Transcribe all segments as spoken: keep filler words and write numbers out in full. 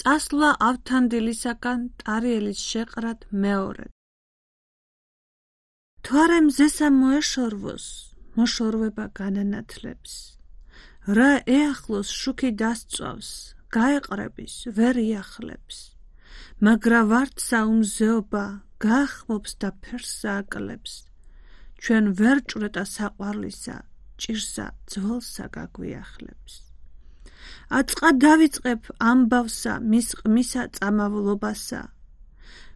წასვლა ავთანდილისაგან ტარიელის შეყრად მეორედ. თუ არა მზესა მოეშორვოს, მოშორვება განანათლებს. რა ეახლოს შუქი დასწვავს, გაეყრების, ვერ იახლებს. მაგრა ვარდსა უმზეობა, გაახმობს და ფერსა აკლებს. ჩვენ ვერ ჭვრეტა საყვარლისა, ჭირსა ძველსა გაგვიახლებს. აწყა დავიწყებ ამბავსა, მის ყმისა წამავლობასა.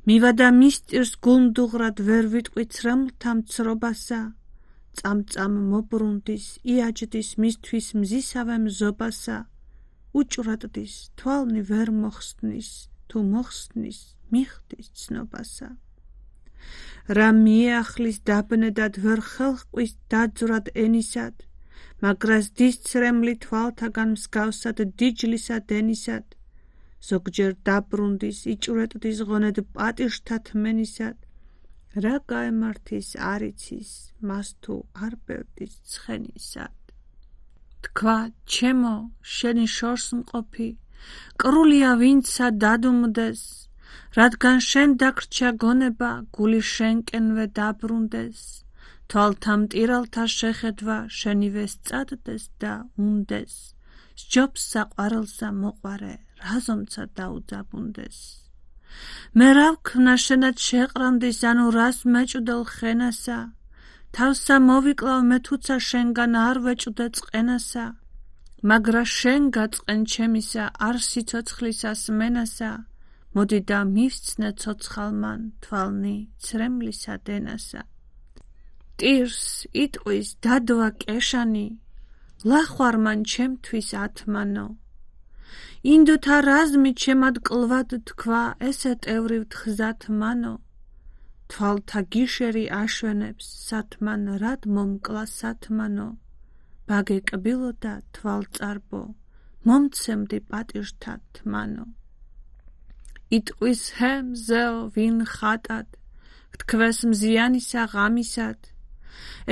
მივადა მისტირს გულმდუღრად ვერ ვიტყვი ცრემლთა მცრობასა. წამწამ მობრუნდის, იაჯდის მისთვის მზისავე მზობასა. უჭვრატდის, თვალნი ვერ მოხსნის, თუ მოხსნის, მიხდის ცნობასა. რა მიეახლის დაბნედად ვერ ხელჰყვის დაძვრად ენისად, მაგრას დის ცრემლი თვალთაგან მსგავსად დიჯლისა დენისად. ზოგჯერ დაბრუნდის, იჭვრეტდის ღონედ პატიჟთა თმენისად. რა გაემართის არიცის, მას თუ არ ბევრდის ცხენისად. თქვა, ჩემო, შენი შორს მყოფი, კრულია ვინცა დადუმდეს, რადგან შენ დაგრჩა გონება, გული შენკენვე დაბრუნდეს. თვალთა მტირალთა შეხედვა შენივე სწადდეს და უნდეს. სჯობს საყვარელსა მოყვარე, რაზომცა დაუძაბუნდეს. მე რა ვქნა შენად შეყრანდის, ანუ რას მეჭვდელ ხენასა. თავსა მოვიკლავ მე თუცა შენგან არ ვეჭვდე წყენასა. მაგრა შენ გაწყენ ჩემისა, არ სიცოცხლისას მენასა. მოდი და მივსცნე ცოცხალმან, თვალნი ცრემლისა დენასა. ტირს, იტყვის, დადვა კეშანი, ლახვარმან ჩემთვის ათმანო. ინდოთა რაზმი ჩემად კლვად თქვა, ესე ტევრივთ ხზათ მანო. თვალთა გიშერი აშვენებს, სათმან რად მომკლა სათმანო. ბაგე კბილო და თვალწარბო, მომცემდი პატიჟთა თმანო. იტყვის ჰე მზეო ვინ ხატად, გთქვეს მზიანისა ღამისად.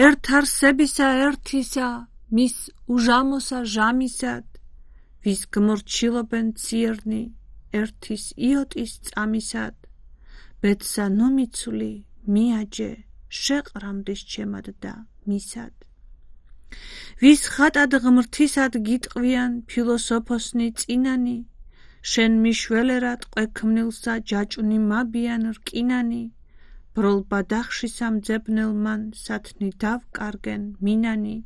ერთ არსებისა ერთისა, მის უჟამოსა ჟამისად. ვის გმორჩილობენ ციერნი, ერთის იოტის წამისად. ბედსა ნომიცული, მიაჯე, შეყრამდის ჩემად და მისად. ვის ხატად ღმრთისად გიტყვიან, ფილოსოფოსნი წინანი. შენ მიშველერად ყვექმნილსა ჯაჭვნი მაბიან რკინანი. ბროლ ბადახში სამძებნელმან სათნი დავკარგენ მინანი.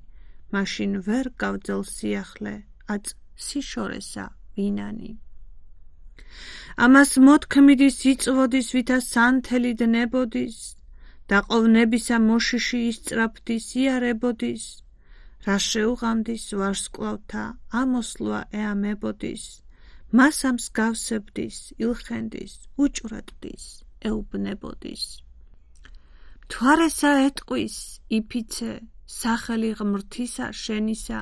მაშინ ვერ გავძელ სიახლე, აწ სიშორესა ვინანი. ამას მოთქმიდის იწვოდის, ვითა სანთელი დნებოდის. დაყოვნებისა მოშიში ისწრაფდის, იარებოდის. რა შეუღამდის ვარსკვლავთა, ამოსლვა ეამებოდის. მას ამსგავსებდის, ილხენდის, უჭვრეტდის, ეუბნებოდის. მთვარესა ეტყვის, იფიცე, სახელი ღმრთისა შენისა.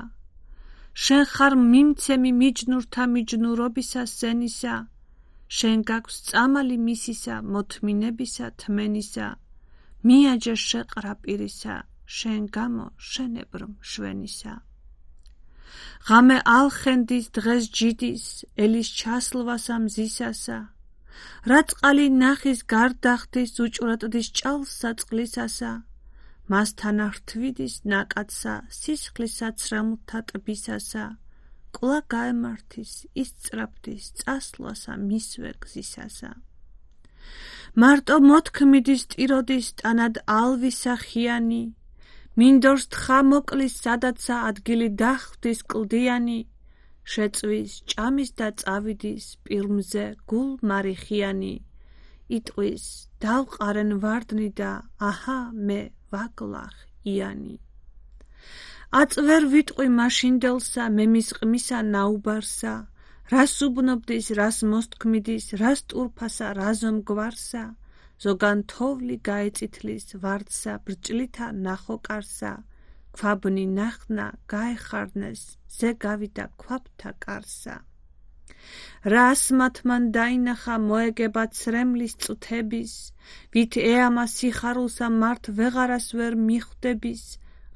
შენ ხარ მიმცემი მიჯნურთა მიჯნურობისა სენისა. შენ გაქვს წამალი მისისა, მოთმინებისა თმენისა. მიაჯე შეყრა პირისა, შენ გამო შენებრ მშვენისა. ღამე ალხენდის, დღეს ჯიდის, ელის ჩასლვასა მზისასა. რა წყალი ნახის გარდახდის, უჭვრეტდის ჭალსა წყლისასა. მასთან რთვიდის ნაკადსა, სისხლისა ცრემლთა ტბისასა. კვლავ გაემართის, ისწრაფდის, წასვლასა მისვე გზისასა. მარტო მოთქმიდის ტიროდის ტანად ალვისა ხიანი. მინდორს თხა მოკლის, სადაცა ადგილი დახვდის კლდიანი. შეწვის, ჭამის და წავიდის, პირმზე გულ მარიხიანი. იტყვის, დავყარენ ვარდნი და აჰა მე ვაგლახ იანი. აწ ვერ ვიტყვი მაშინდელსა, მე მის ყმისა ნაუბარსა. რას უბნობდის, რას მოსთქმიდის, რას ტურფასა, რაზომ გვარსა. ზოგან თოვლი გაეწითლის, ვარდსა ბრჭლითა ნახოკარსა. ქვაბნი ნახნა, გაეხარნეს, ზე გავიდა ქვაბთა კარსა. რა ასმათმან დაინახა, მოეგება ცრემლის წუთების. ვით ეამა სიხარულსა, მართ ვეღარას ვერ მიხვდების.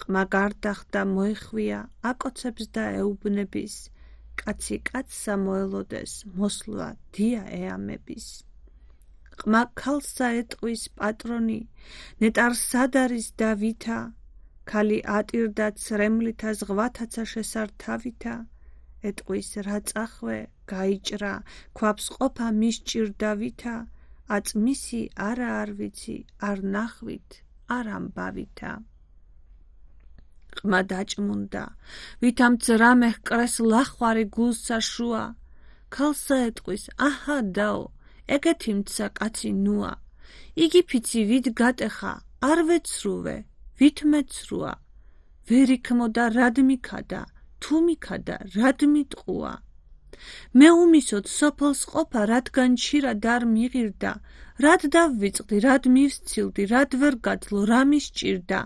ყმა გარდახდა მოეხვია, აკოცებს და ეუბნების. კაცი კაცსა მოელოდეს, მოსვლა დია ეამების. ყმა ქალსა ეტყვის პატრონი, ნეტარ სად არის და ვითა, ქალი ატირდა ცრემლითა ზღვათაცა შესართავითა, ეტყვის რა წახვე, გაიჭრა, ქვაფს ყოფა მის ჭირდავითა, აწმისი არა არ ვიცი, არ ნახვით, არ ამბავითა. ყმა დაჭმუნდა, ვითამ ძრამე ჰკრეს ლახვარი გულსა შუა, ქალსა ეტყვის, აჰა დაო, ეგეთი მცა კაცი ნუა, იგი ფიცი ვით გატეხა, არ ვეცრუვე, ვით მეცრუა, ვერ იქმოდა რად მიქადა, თუ მიქადა რად მიტყუა. მე უმისოდ სოფელს ყოფა, რადგან ჩირა დარ მიღირდა, რად დავვიწყდი, რად მივსცილდი, რად ვერ გაძლო, რა მისჭირდა,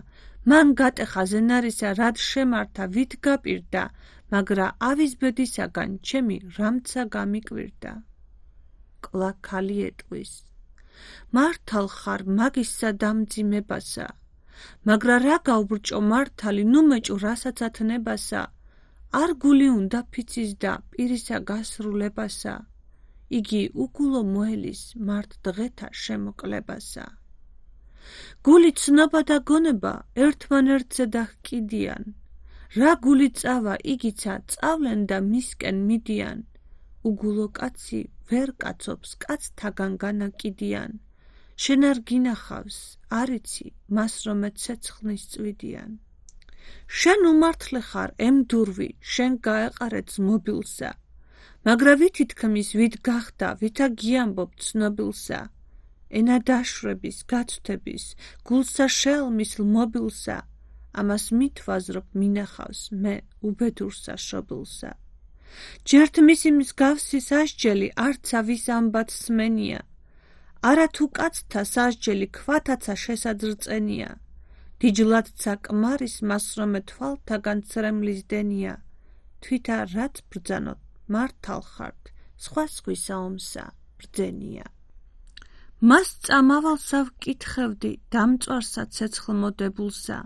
მან გატეხა ზენარისა, რად შემართა, ვით გაპირდა, მაგრა ავის ბედისაგან ჩემი რამცა გამიკვირდა. კლა ქალი ეტყვის, მართალ ხარ მაგისა დამძიმებასა, მაგრა რა გავბრჭო მართალი, ნუ მეჭუ რასაც ათნებასა, არ გული უნდა ფიცის და პირისა გასრულებასა, იგი უგულო მოელის მართ დღეთა შემოკლებასა. გული ცნობა და გონება ერთმანერთზე და ჰკიდიან, რა გული წავა იგიცა წავლენ და მისკენ მიდიან, უგულო კაცი ვერ კაცობს კაცთაგან განაკიდიან, შენ არ გინახავს, არიცი, მას რომ ეცეცხლნის წვიდიან. შენ უმართლე ხარ ემდურვი, შენ გაეყარე ძმობილსა, მაგრა ვითი თქმის, ვით გახდა, ვითა გიამბობ ცნობილსა, ენა დაშვების, გაცვთების, გულსა შეალმის ლმობილსა, ამას მითვაზრობ მინახავს მე უბედურსა შობილსა. ჯერთ მისი მსგავსი სასჯელი არცა ვის ამბად სმენია, არა თუ კაცთა სასჯელი ქვათაცა შესაძრწენია, დიჯლადცა კმარის მას რომე თვალთაგან ცრემლის დენია, თვითა რაც ბრძანოთ მართალ ხართ, სხვა სხვისა ომსა ბრძენია. მას წამავალსა ვკითხევდი, დამწვარსა ცეცხლმოდებულსა,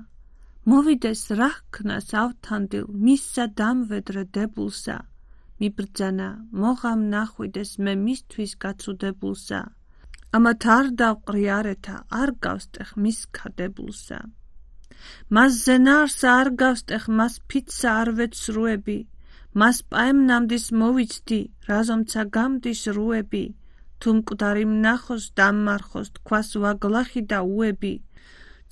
მოვიდეს რა ჰქნას ავთანდილ, მისსა დამვედრე დებულსა, მიბრძანა, მოღამ ნახვიდეს მე მისთვის გაცუდებულსა, ამათ არ დავყრი არეთა, არ გავსტეხ მის ქადებულსა. მას ზენარსა არ გავსტეხ, მას ფიცსა არ ვეცრუები, მას პაემნამდის მოვიცდი, რაზომცა გამდის რუები, თუ მკვდარი მნახოს დამმარხოს, თქვას ვაგლახი და უები,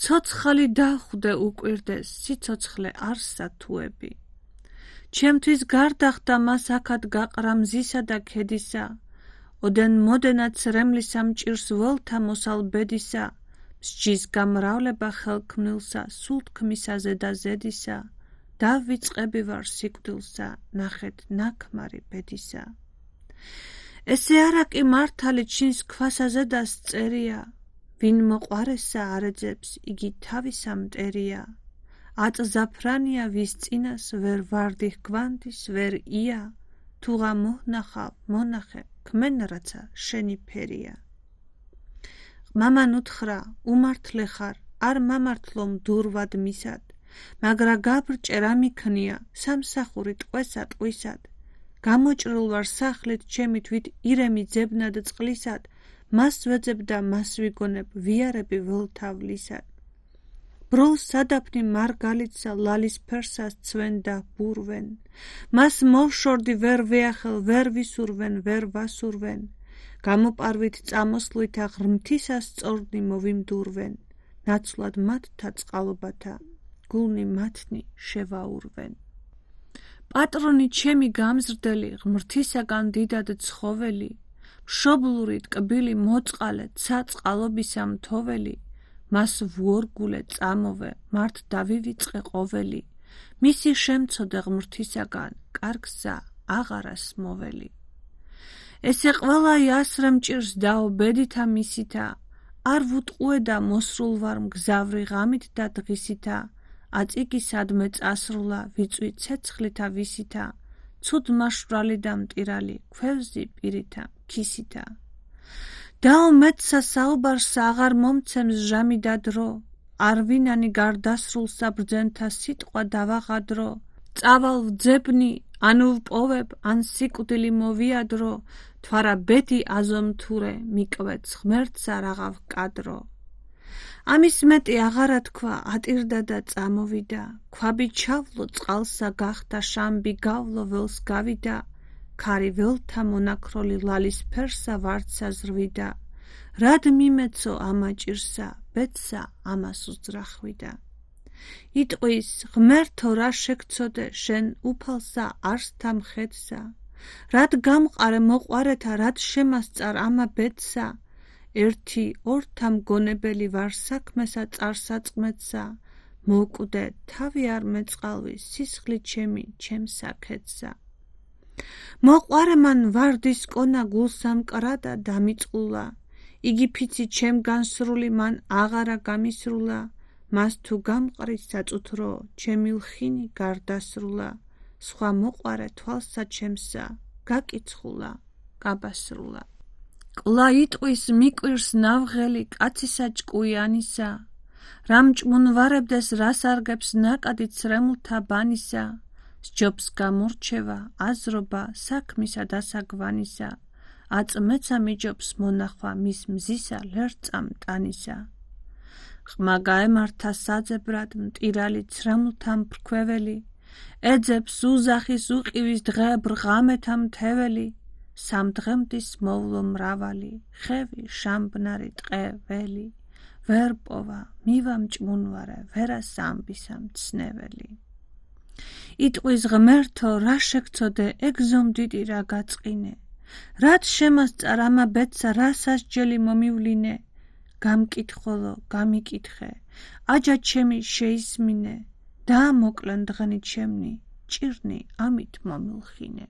ცოცხალი დავხვდე უკვირდეს, სიცოცხლე არსა თუები. ჩემთვის გარდახდა მას აქად გაყრა მზისა და ქედისა, ოდენ მოდენა ცრემლისა მჭირს ველთა მოსალ ბედისა, მსჯის გამრავლება ხელქმნილსა, სულ თქმისაზე და ზედისა, დავიწყები ვარ სიკვდილსა, ნახეთ ნაქმარი ბედისა. ესე არა კი მართალი ჩინს ქვასაზე და სწერია, ვინ მოყვარესა არეძებს, იგი თავისა მტერია, აწზაფრანია ვის წინას ვერ ვარდი ჰგვანდის ვერ ია, თუღა მოhnახავ მონახე ქმენ რაცა შენი ფერია. მამან უთხრა, უმართლე ხარ, არ მამართლო მდურვად მისად, მაგრა გაბრჭე რა მიქნია, სამსახური ტყვესა ტყვისად, გამოჭრილ ვარ სახლით ჩემი თვით ირემი ძებნად წყლისად, მას ვეძებ და მას ვიგონებ, ვიარები ველთავლისად. ბროლ სადაფნი მარგალიტსა ლალის ფერსას ცვენ და ბურვენ, მას მოვშორდი ვერ ვეახელ, ვერ ვისურვენ, ვერ ვასურვენ, გამოპარვით წამოსვლითა ღრმთისა სწორნი მოვიმდურვენ, ნაცვლად მათთა წყალობათა, გულნი მათნი შევაურვენ. პატრონი ჩემი გამზრდელი, ღმრთისაგან დიდად ცხოველი, მშობლური ტკბილი მოწყალე, ცა წყალობისა მთოველი, მას ვუორგულე წამოვე, მართ დავივიწყე ყოველი, მისი შემცოდე ღმრთისაგან, კარგსა აღარას მოველი. ესე ყველაი ასრე მჭირს დაობედითა მისითა, არ ვუტყუე და მოსრულ ვარ მგზავრი ღამით და დღისითა, აწიგი სადმე წასრულა, ვიწვი ცეცხლითა ვისითა, ცუდ მაშვრალი და მტირალი, ქვევზი პირითა, ქისითა. დაო მეცსა საუბარსა აღარ მომცემს ჟამი და დრო, არ ვინანი გარდასრულსა ბრძენთა სიტყვა დავაღადრო, წავალ ვძებნი, ანუ ვპოვებ, ან სიკვდილი მოვიადრო, თვარა ბედი აზომთურე, მიკვეც ღმერთსა რაღა ვკადრო. ამის მეტი აღარა თქვა, ატირდა და წამოვიდა, ქვაბი ჩავლო, წყალსა გახდა, შამბი გავლო, ველს გავიდა, ქარი ველთა მონაქროლი ლალის ფერსა ვარდსა ზრვიდა, რად მიმეცო ამა ჭირსა, ბედსა ამას უძრახვიდა. იტყვის, ღმერთო, რა შეგცოდე, შენ უფალსა არსთა მხედსა, რად გამყარე მოყვარეთა, რად შემასწარ ამა ბედსა, ერთი ორთა მგონებელი ვარ საქმესა წარსაწმეთსა, მოკვდე თავი არ მეწყალვი, სისხლი ჩემი ჩემსა ქედსა. მოყვარე მან ვარდის კონა გულსა მკრადა დამიწყულა, იგი ფიცი ჩემ განსრული მან აღარა გამისრულა, მას თუ გამყრის საწუთრო, ჩემი ლხინი გარდასრულა, სხვა მოყვარე თვალსა ჩემსა, გაკიცხულა, გაბასრულა. კლა იტყვის მიკვირს ნავღელი კაცისა ჭკუიანისა, რამ ჭმუნვარებდეს რას არგებს ნაკადი ცრემლთა ბანისა, სჯობს გამორჩევა, აზრობა საქმისა დასაგვანისა, აწმეცა მიჯობს მონახვა მის მზისა ლერწა მტანისა. ხმა გაემართა საძებრად მტირალი ცრემლთა მფრქვეველი, ეძებს უზახის უყივის დღე ბრღამეთა მთეველი, სამდღემდის მოვლო მრავალი, ხევი შამბნარი ტყეველი, ვერ პოვა, მივა მჭმუნვარე, ვერა სამბისა მცნეველი. იტყვის ღმერთო, რა შეგცოდე, ეგზომდიდი რა გაწყინე, რად შემასწარ ამა ბედსა, რა სასჯელი მომივლინე, გამკითხველო, გამიკითხე, აჯა ჩემი შეისმინე, დაამოკლენ დღენი ჩემნი, ჭირნი ამით მომილხინე.